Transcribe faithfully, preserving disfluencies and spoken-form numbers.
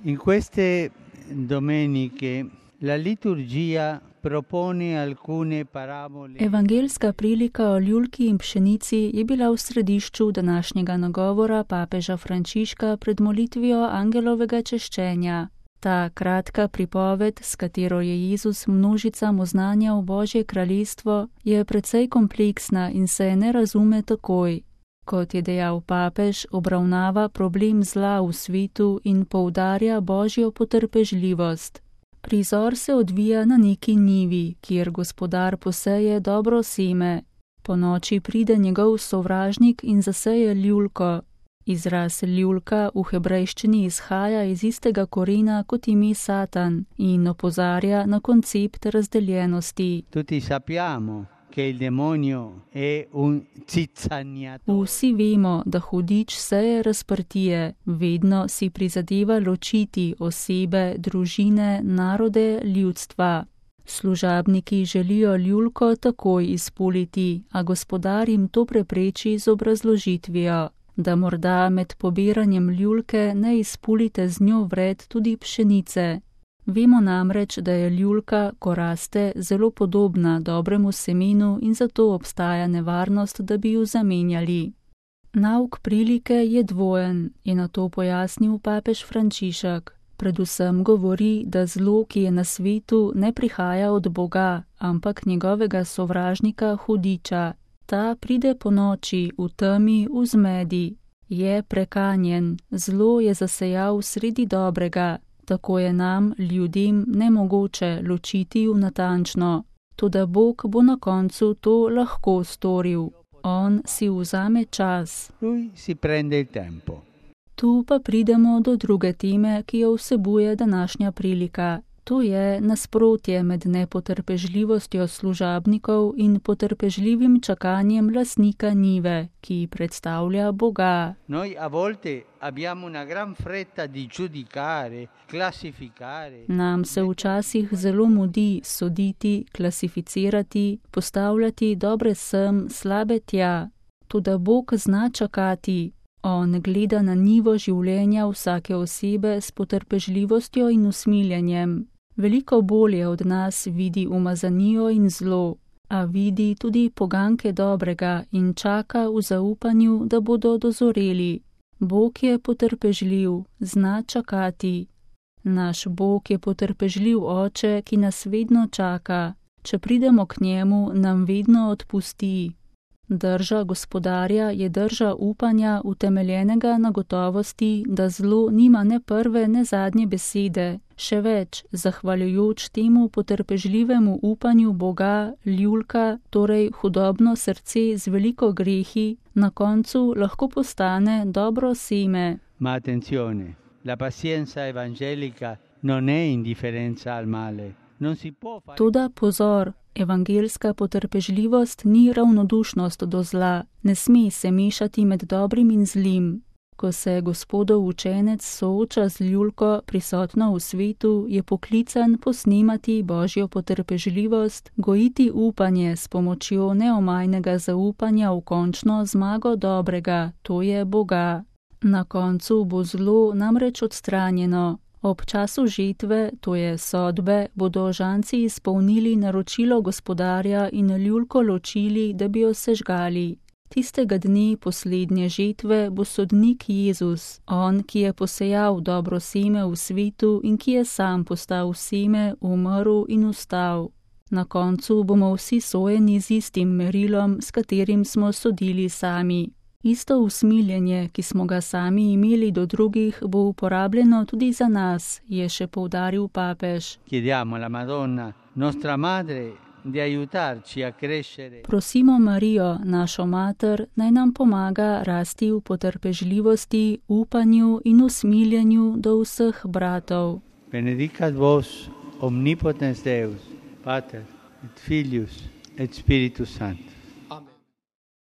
In queste domeniche la liturgia propone alcune parabole. Evangeljska prilika o ljulki in pšenici je bila v središču današnjega nagovora papeža Frančiška pred molitvijo angelovega češčenja. Ta kratka pripoved, s katero je Jezus množicam oznanjal Božje kraljestvo, je precej kompleksna in se ne razume takoj. Kot je dejal papež, obravnava problem zla v svetu in poudarja Božjo potrpežljivost. Prizor se odvija na neki njivi, kjer gospodar poseje dobro seme. Ponoči pride njegov sovražnik in zaseje ljulko. Izraz ljulka v hebrejščini izhaja iz istega korena kot ime Satan in opozarja na koncept razdeljenosti. Tutti sappiamo che il demonio è un zizzaniatore. Vsi vemo, da hudič seje razprtije, vedno si prizadeva ločiti osebe, družine, narode, ljudstva. Služabniki želijo ljulko takoj izpuliti, a gospodar jim to prepreči z obrazložitvijo, da morda med pobiranjem ljulke ne izpulite z njo vred tudi pšenice. Vemo namreč, da je ljulka, ko raste, zelo podobna dobremu semenu in zato obstaja nevarnost, da bi jo zamenjali. Nauk prilike je dvojen, je na to pojasnil papež Frančišek. Predvsem govori, da zlo, ki je na svetu, ne prihaja od Boga, ampak njegovega sovražnika hudiča. Ta pride po noči, v temi, v zmedi. Je prekanjen, zlo je zasejal sredi dobrega. Tako je nam, ljudem, nemogoče ločiti v natančno. Toda Bog bo na koncu to lahko storil. On si vzame čas. Lui si prende il tempo. Tu pa pridemo do druge teme, ki jo vsebuje današnja prilika. To je nasprotje med nepotrpežljivostjo služabnikov in potrpežljivim čakanjem lastnika njive, ki predstavlja Boga. Noi a volte abbiamo una gran fretta di giudicare, classificare. Nam se včasih zelo mudi soditi, klasificirati, postavljati dobre sem, slabe tja. Toda Bog zna čakati. On gleda na njivo življenja vsake osebe s potrpežljivostjo in usmiljenjem. Veliko bolje od nas vidi umazanijo in zlo, a vidi tudi poganke dobrega in čaka v zaupanju, da bodo dozoreli. Bog je potrpežljiv, zna čakati. Naš Bog je potrpežljiv oče, ki nas vedno čaka. Če pridemo k njemu, nam vedno odpusti. Drža gospodarja je drža upanja utemeljenega na gotovosti, da zlo nima ne prve, ne zadnje besede. Še več, zahvaljujoč temu potrpežljivemu upanju Boga, ljulka, torej hudobno srce z veliko grehi, na koncu lahko postane dobro seme. Ma attenzione, la pazienza evangelica non è indifferenza al male. Non si può fare... Toda pozor, evangeljska potrpežljivost ni ravnodušnost do zla, ne sme se mešati med dobrim in zlim. Ko se Gospodov učenec sooča z ljulko prisotno v svetu, je poklican posnemati Božjo potrpežljivost, gojiti upanje s pomočjo neomajnega zaupanja v končno zmago dobrega, to je Boga. Na koncu bo zlo namreč odstranjeno. Ob času žetve, to je sodbe, bodo žanci izpolnili naročilo gospodarja in ljulko ločili, da bi jo sežgali. Tistega dne poslednje žetve bo sodnik Jezus, on, ki je posejal dobro seme v svetu in ki je sam postal seme, umrl in vstal. Na koncu bomo vsi sojeni z istim merilom, s katerim smo sodili sami. Isto usmiljenje, ki smo ga sami imeli do drugih, bo uporabljeno tudi za nas, je še poudaril papež. Chiediamo alla Madonna, nostra madre, di aiutarci a crescere. Prosimo Marijo, našo mater, naj nam pomaga rasti v potrpežljivosti, upanju in usmiljenju do vseh bratov. Benedicat vos omnipotens Deus, Pater et Filius et Spiritus Sanctus.